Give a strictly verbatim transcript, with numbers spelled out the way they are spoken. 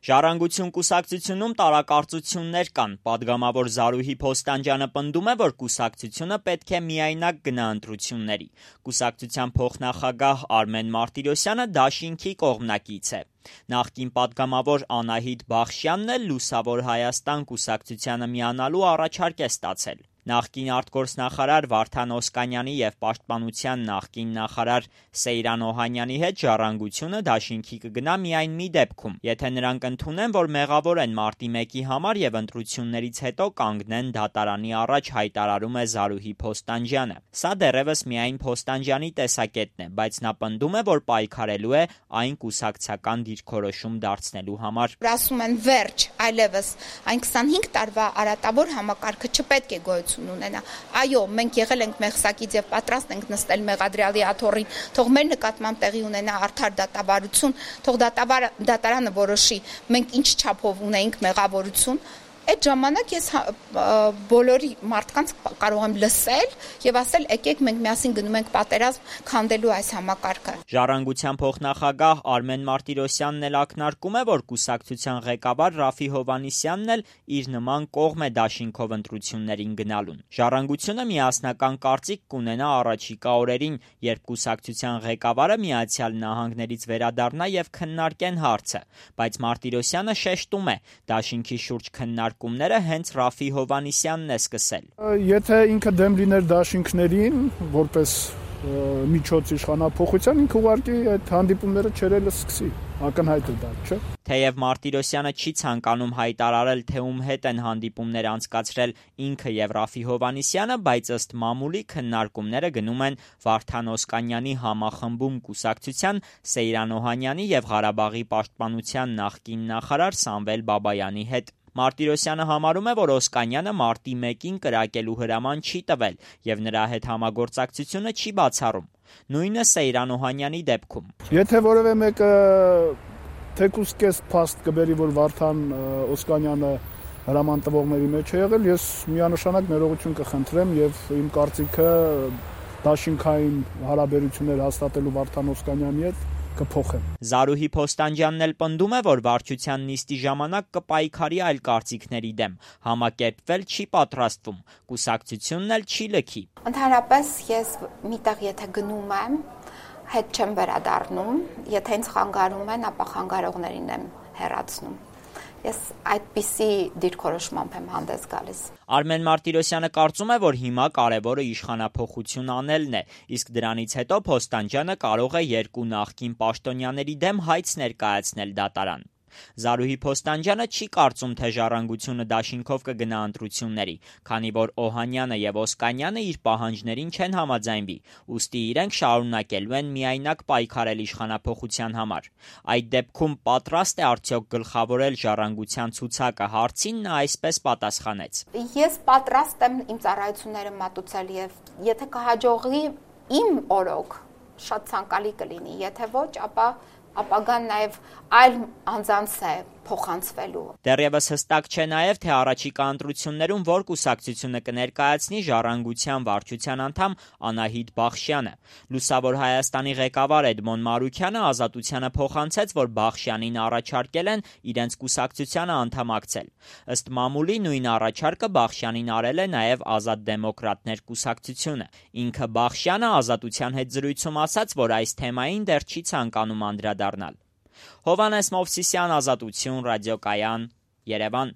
Ժառանգություն կուսակցությունում տարակարծություններ կան։ Պատգամավոր Զարուհի Փոստանջյանը պնդում է, որ կուսակցությունը պետք է միայնակ գնա ընտրությունների։ Կուսակցության փոխնախագահ Արմեն Մարտիրոսյանը դաշինքի կողմնակից է։ Նախկին պատգամավոր Անահիտ Բախշյանն էլ Լուսավոր Հայաստան կուսակցությանը միանալու առաջարկ է ստացել։ Նախկին արտգործնախարար Վարդան Օսկանյանի և Պաշտպանության նախկին նախարար Սեյրան Օհանյանի հետ Ժառանգությունը դաշինքի կգնա միայն մի դեպքում, եթե նրանք ընդունեն, որ մեղավոր են մարտի մեկի համար և ընտրություններից հետո կանգնեն դատարանի առաջ, հայտարարում է Զարուհի Փոստանջյանը։ Սա դեռևս միայն Փոստանջյանի տեսակետն է, բայց նա պնդում է, որ պայքարելու է այն կուսակցական դիրքորոշում դարձնելու համար։ Ասում են վերջ, այլևս այն քսանհինգ տարվա արատավոր համակարգը չպետք է գոյություն ունենա։ Այո, մենք եղել ենք մեղսակից եւ պատրաստ ենք նստել մեղադրյալի աթոռին, թող մեր նկատմամբ տեղի ունենա արդար դատավարություն, թող դատարանը որոշի մենք ինչ չափով ունեինք մեղավորություն։ Այդ ժամանակ ես բոլորի մարդկանց կարող եմ լսել եւ ասել եկեք մենք միասին գնում ենք պատերազմ քանդելու այս համակարգը։ Ժառանգության փոխնախագահ Արմեն Մարտիրոսյանն էլ ակնարկում է, որ կուսակցության ղեկավար Ռաֆի Հովհաննիսյանն էլ իր նման կողմ է դաշինքով ընտրություններին գնալուն։ Ժառանգությունը միասնական կարծիք կունենա առաջիկա օրերին, երբ կուսակցության ղեկավարը Միացյալ Նահանգներից վերադառնա եւ քննարկեն հարցը, բայց Մարտիրոսյանը շեշտում է, դաշինքի շուրջ քննարկումները հենց Ռաֆի Հովհաննիսյանն է սկսել։ Եթե ինքը դեմ լիներ դաշինքներին, որպես միջոց իշխանափոխության, ինքը ուղղակի այդ հանդիպումները չերել սկսի, ակնհայտ է դա, չէ՞։ Թեև Մարտիրոսյանը չի ցանկանում հայտարարել, թե ում հետ են հանդիպումներ անցկացրել ինքը եւ Ռաֆի Հովհաննիսյանը, բայց ըստ մամուլի քննարկումները գնում են Վարդան Օսկանյանի համախմբում կուսակցության Սեյրան Օհանյանի եւ Ղարաբաղի պաշտպանության նախկին նախարար Սամվել Բաբայանի հետ։ Մարտիրոսյանը համարում է, որ Օսկանյանը մարտի մեկին կրակելու հրաման չի տվել եւ նրա հետ համագործակցությունը չի բացառում։ Նույնը Սեյրան Օհանյանի դեպքում։ Եթե որևէ մեկը թեկուզ կես փաստ կբերի, որ Վարդան Օսկանյանը հրաման տվողների մեջ է եղել, ես միանշանակ ներողություն կխնդրեմ եւ իմ կարծիքը դաշինքային հարաբերություններ հաստատելու Վարդան Օսկանյանի հետ կփոխեմ։ Զարուհի Փոստանջյանն էլ պնդում է, որ վարչության նիստի ժամանակ կպայքարի այլ կարծիքների դեմ, համակերպվել չի պատրաստվում, կուսակցությունն էլ չի լքի։ Ընդհանրապես ես միտեղ եթե գնում եմ, հետ չեմ վերադառնում, եթե ինձ խանգարում են, ապա խանգարողներին եմ հեռացնում։ Ես այդպիսի դիրքորոշմամբ եմ հանդես գալիս։ Արմեն Մարտիրոսյանը կարծում է, որ հիմա կարևորը իշխանափոխություն անելն է, իսկ դրանից հետո Փոստանջյանը կարող է երկու նախկին պաշտոնյաների դեմ հայց ներկայացնել դատարան։ Զարուհի Փոստանջյանը չի կարծում, թե Ժառանգությունը դաշինքով կգնա ընտրությունների, քանի որ Օհանյանը եւ Օսկանյանը իր պահանջներին չեն համաձայնվի, ուստի իրենք շարունակելու են միայնակ պայքարել իշխանափոխության համար։ Այդ դեպքում պատրաստ է արդյոք գլխավորել Ժառանգության ցուցակը հարցին նա այսպես պատասխանեց. Ես պատրաստ եմ իմ ծառայությունները մատուցել եւ եթե կհաջողի իմ օրոք շատ ցանկալի կլինի, եթե ոչ, ապա ապագան նաև այլ անձանց է փոխանցվելու։ Դեռևս հստակ չէ նաև, թե առաջիկա ընտրություններում որ կուսակցությունը կներկայացնի Ժառանգության վարչության անդամ Անահիտ Բախշյանը։ Լուսավոր Հայաստանի ղեկավար Էդմոն Մարուքյանը Ազատությանը փոխանցեց, որ Բախշյանին առաջարկել են իրենց կուսակցությանը անդամակցել։ Ըստ մամուլի նույն առաջարկը Բախշյանին արել է նաև Ազատ դեմոկրատներ կուսակցությունը։ Ինքը Բախշյանը Ազատության հետ զրույցում ասաց, որ այս թեմային դեռ չի ցանկանում անդրադառնալ։ Հովհաննես Մովսիսյան, Ազատություն, ռադիոկայան, Երևան։